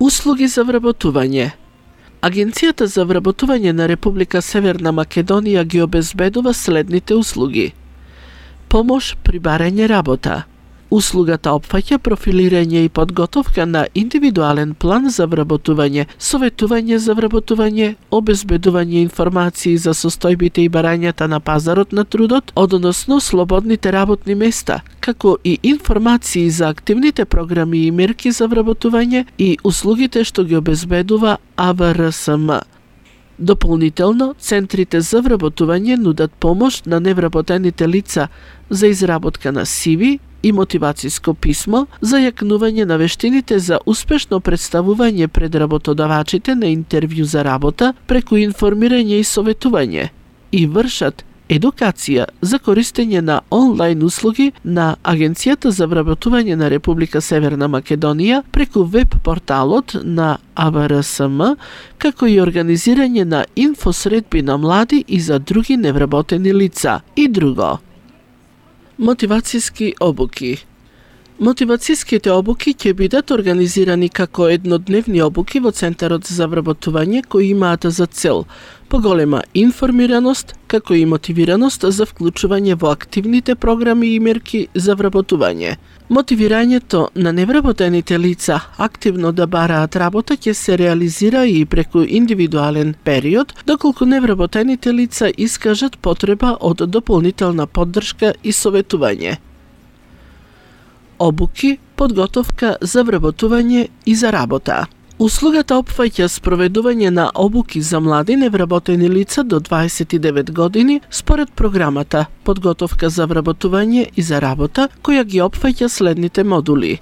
Услуги за вработување. Агенцијата за вработување на Република Северна Македонија ги обезбедува следните услуги. Помош при барање работа. Услугата опфаќа профилирање и подготовка на индивидуален план за вработување, советување за вработување, обезбедување информации за состојбите и барањата на пазарот на трудот, односно слободните работни места, како и информации за активните програми и мерки за вработување и услугите што ги обезбедува АВРСМ. Дополнително, центрите за вработување нудат помош на невработените лица за изработка на CV и мотивациско писмо за јакнување на вештините за успешно представување пред работодавачите на интервју за работа преку информирање и советување и вршат едукација за користење на онлайн услуги на Агенцијата за вработување на Република Северна Македонија преку веб порталот на АВРСМ, како и организирање на инфосредби на млади и за други невработени лица и друго. Мотивацијски обуки. Мотивацијските обуки ќе бидат организирани како еднодневни обуки во Центарот за вработување кои имаат за цел поголема информираност, како и мотивираност за вклучување во активните програми и мерки за вработување. Мотивирањето на невработените лица активно да бараат работа ќе се реализира и преку индивидуален период, доколку невработените лица искажат потреба од дополнителна поддршка и советување. Обуки, подготовка за вработување и за работа. Услугата опфаќа спроведување на обуки за млади невработени лица до 29 години според програмата Подготовка за вработување и за работа, која ги опфаќа следните модули.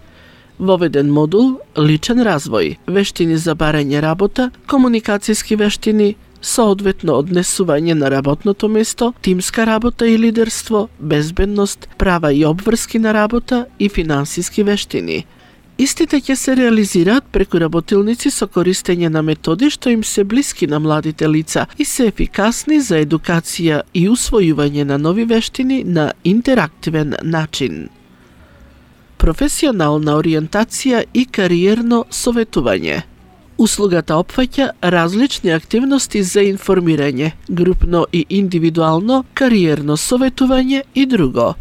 Воведен модул личен развој, вештини за барање работа, комуникацијски вештини, соодветно однесување на работното место, тимска работа и лидерство, безбедност, права и обврски на работа и финансиски вештини. Истите ќе се реализираат преку работилници со користење на методи што им се блиски на младите лица и се ефикасни за едукација и усвојување на нови вештини на интерактивен начин. Професионална ориентација и кариерно советување. Услугата опфаќа различни активности за информирање, групно и индивидуално, кариерно советување и друго.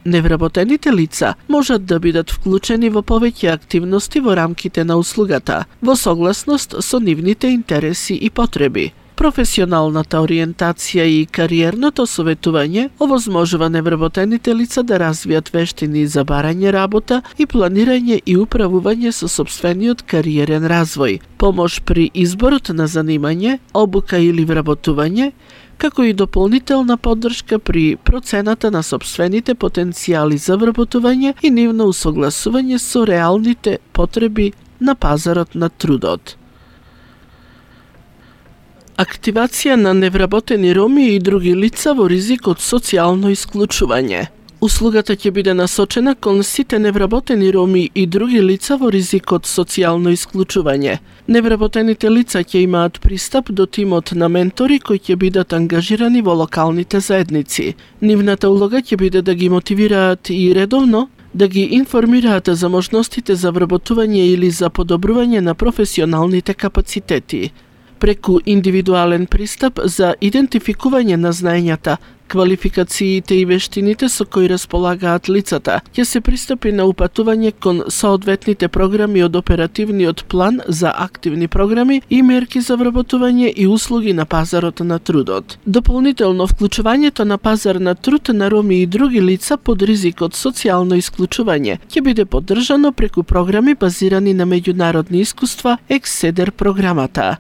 Невработените лица можат да бидат вклучени во повеќе активности во рамките на услугата, во согласност со нивните интереси и потреби. Професионалната ориентација и кариерното советување овозможува невработените лица да развијат вештини за барање работа и планирање и управување со сопствениот кариерен развој, помош при изборот на занимање, обука или вработување, како и дополнителна поддршка при процената на сопствените потенцијали за вработување и нивно усогласување со реалните потреби на пазарот на трудот. Активација на невработени роми и други лица во ризик од социјално исклучување. Услугата ќе биде насочена кон сите невработени роми и други лица во ризик од социјално исклучување. Невработените лица ќе имаат пристап до тимот на ментори кои ќе бидат ангажирани во локалните заедници. Нивната улога ќе биде да ги мотивираат и редовно да ги информираат за можностите за вработување или за подобрување на професионалните капацитети. Преку индивидуален пристап за идентификување на знаењата, квалификациите и вештините со кои располагаат лицата, ќе се пристапи на упатување кон соодветните програми од оперативниот план за активни програми и мерки за вработување и услуги на пазарот на трудот. Дополнително вклучувањето на пазар на труд на роми и други лица под ризик од социјално исклучување ќе биде поддржано преку програми базирани на меѓународни искуства Екседер програмата.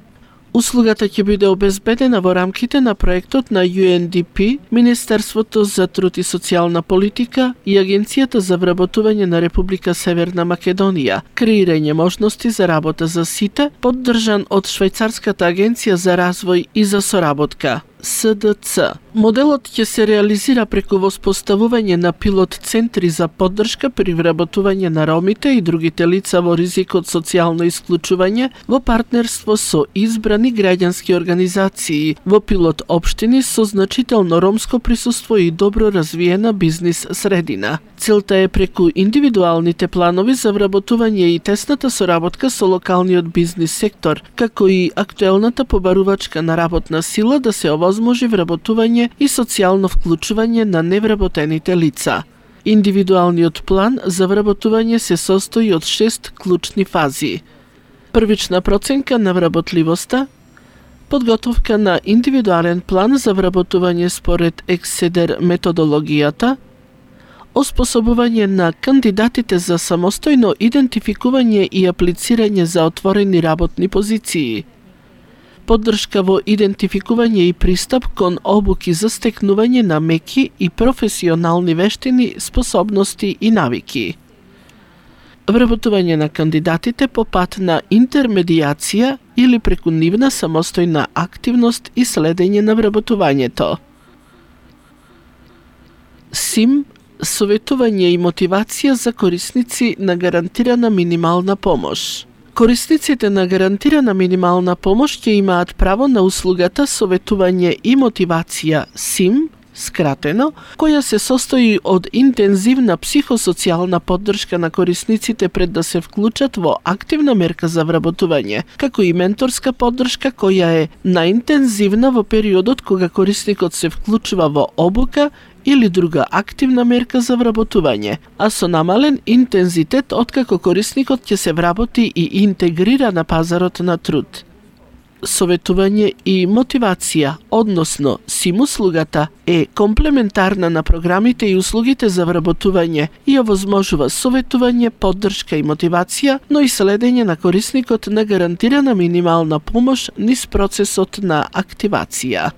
Услугата ќе биде обезбедена во рамките на проектот на UNDP, Министерството за труд и социјална политика и Агенцијата за вработување на Република Северна Македонија, креирање можности за работа за сите, поддржан од Швајцарската агенција за развој и за соработка. СДЦ. Моделот ќе се реализира преку воспоставување на пилот центри за поддршка при вработување на ромите и другите лица во ризик од социјално исклучување во партнерство со избрани граѓански организации во пилот општини со значително ромско присуство и добро развиена бизнис средина. Целта е преку индивидуалните планови за вработување и тесната соработка со локалниот бизнис сектор, како и актуелната побарувачка на работна сила да се овозможи вработување и социјално вклучување на невработените лица. Индивидуалниот план за вработување се состои од 6 клучни фази. Првична проценка на вработливоста, подготовка на индивидуален план за вработување според ЕКСЕДЕР методологијата, оспособување на кандидатите за самостојно идентификување и аплицирање за отворени работни позиции, поддршка во идентификување и пристап кон обуки за стекнување на меки и професионални вештини, способности и навики. Вработување на кандидатите по пат на интермедијација или преку нивна самостојна активност и следење на вработувањето. СИМ – советување и мотивација за корисници на гарантирана минимална помош. Корисниците на гарантирана минимална помош ќе имаат право на услугата советување и мотивација СИМ, скратено, која се состои од интензивна психосоцијална поддршка на корисниците пред да се вклучат во активна мерка за вработување, како и менторска поддршка која е наинтензивна во периодот кога корисникот се вклучува во обука или друга активна мерка за вработување, а со намален интензитет откако корисникот ќе се вработи и интегрира на пазарот на труд. Советување и мотивација, односно СИМ услугата, е комплементарна на програмите и услугите за вработување и овозможува советување, поддршка и мотивација, но и следење на корисникот на гарантирана минимална помош низ процесот на активација.